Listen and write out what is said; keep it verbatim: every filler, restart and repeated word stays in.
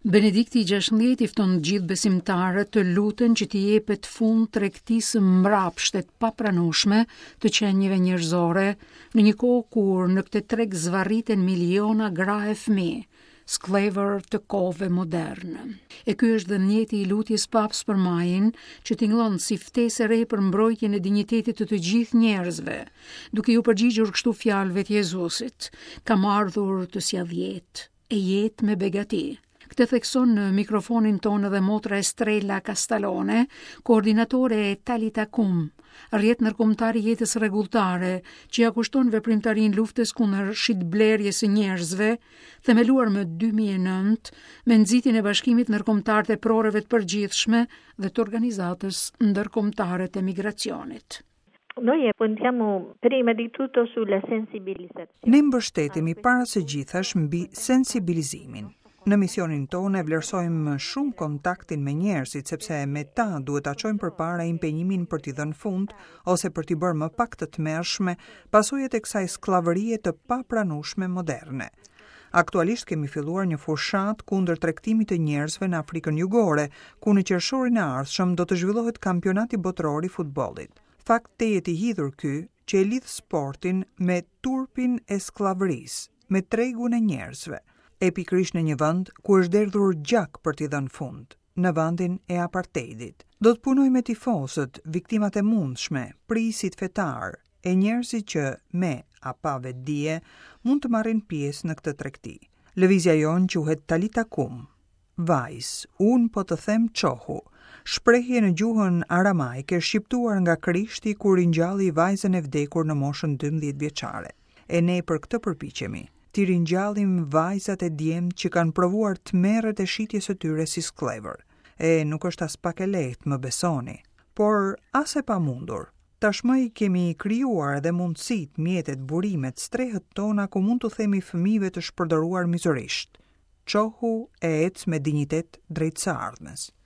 Benedikti i gjashtëmbëdhjetë i fton gjithë besimtarët të luten që t'i jepet fund tregtisë mbrapshte të papranueshme të qenieve njerëzore në një kohë kur në këtë treg zvarriten miliona gra e fëmijë, skllevër të kohëve moderne. E ky është dhe mjeti i lutjes papës për majin, që tingëllon si ftesë e re për mbrojtjen e dinjitetit të të gjithë njerëzve, duke iu përgjigjur kështu fjalëve të Jezusit: "Kam ardhur të sjell jetë, e jetë me begati." Këtë thekson në mikrofonin tonë edhe motra Estrella Castalone, koordinatore e Talita Kum, rrjet ndërkombëtar i jetës rregulltare, që ja kushton veprimtarinë luftës kundër shitblerjes së njerëzve, themeluar më dy mijë e nëntë me nxitjen e Bashkimit Ndërkombëtar të Eproreve të Përgjithshme dhe të Organizatës Ndërkombëtare të Migracionit. Noi puntiamo prima di tutto sulla sensibilizzazione. Ne mbështetemi para së gjithash mbi sensibilizimin. Në misionin tonë e vlerësojmë shumë kontaktin me njerëzit, sepse me ta duhet ta çojmë përpara impenjimin për t'i dhënë fund ose për t'i bërë më pak të tmerrshme pasojat e kësaj skllavërie të papranueshme moderne. Aktualisht kemi filluar një fushatë kundër tregtimit të njerëzve në Afrikën Jugore, ku në qershorin e ardhshëm do të zhvillohet kampionati botëror i futbollit. Fakt tejet i hidhur ky që e lidh sportin me turpin e skllavërisë, me tregun e njerëzve, e pikërisht në një vend ku është derdhur gjak për t'i dhënë fund, në vendin e apartheidit. Do të punoj me tifozët, viktimat e mundshme, prijësit fetar, e njerëzit që me a pa vetëdije mund të marrin pjesë në këtë tregti. Lëvizja jonë quhet Talita Kum. Vajzë, unë po të them çohu, shprehje në gjuhën aramajke shqiptuar nga Krishti kur ringjalli vajzën e vdekur në moshën dymbëdhjetë vjeçare. E ne për këtë përpiqemi, t'i ringjallim vajzat e djemtë që kanë provuar tmerret e shitjes së tyre si skllevër. E nuk është as pak e lehtë, më besoni, por as e pamundur. Tashmë i kemi krijuar edhe mundësitë, mjetet, burimet, strehët tona ku mund t'u themi fëmijëve të shpërdoruar mizorisht: "Çohu e ec me dinjitet drejt së ardhmes."